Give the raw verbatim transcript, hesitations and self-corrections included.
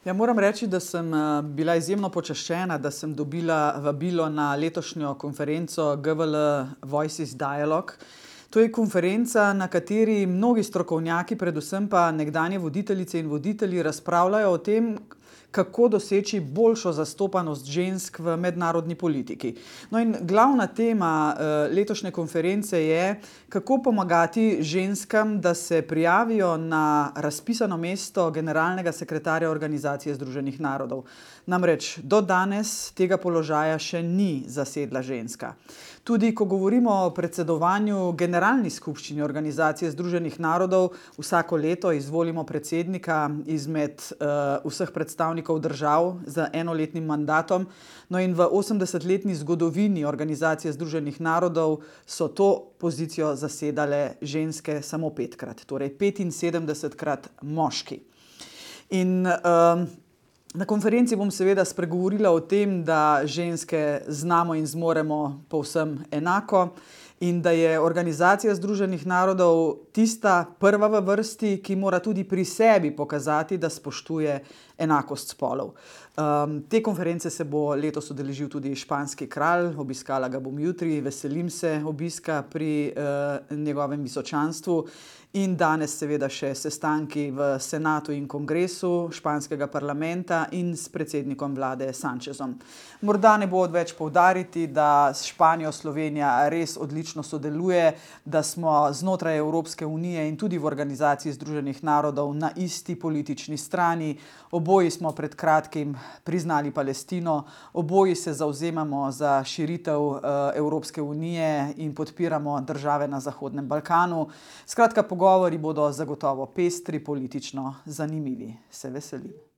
Ja, moram reči, da sem bila izjemno počaščena, da sem dobila vabilo na letošnjo konferenco G V L Voices Dialogue. To je konferenca, na kateri mnogi strokovnjaki, predvsem pa nekdanje voditeljice in voditelji, razpravljajo o tem, kako doseči boljšo zastopanost žensk v mednarodni politiki. No, in glavna tema letošnje konference je, kako pomagati ženskam, da se prijavijo na razpisano mesto generalnega sekretarja Organizacije združenih narodov. Namreč do danes tega položaja še ni zasedla ženska. Tudi ko govorimo o predsedovanju Generalni skupščini Organizacije združenih narodov, vsako leto izvolimo predsednika izmed uh, vseh predstavnikov držav z enoletnim mandatom. No, in v osemdesetletni zgodovini Organizacije združenih narodov so to pozicijo zasedale ženske samo petkrat, torej petinsedemdesetkrat moški. In uh, Na konferenci bom seveda spregovorila o tem, da ženske znamo in zmoremo povsem enako in da je Organizacija združenih narodov tista prva v vrsti, ki mora tudi pri sebi pokazati, da spoštuje enakost spolov. Um, te konference se bo letos udeležil tudi španski kralj, obiskala ga bom jutri, veselim se obiska pri uh, njegovem visočanstvu. In danes seveda še sestanki v senatu in kongresu španskega parlamenta in s predsednikom vlade Sanchezom. Morda ne bo odveč poudariti, da s Španijo Slovenija res odlično sodeluje, da smo znotraj Evropske unije in tudi v Organizaciji združenih narodov na isti politični strani. Oboji smo pred kratkim priznali Palestino, oboji se zavzemamo za širitev uh, Evropske unije in podpiramo države na Zahodnem Balkanu. Skratka, pogovori bodo zagotovo pestri, politično zanimivi. Se veselim.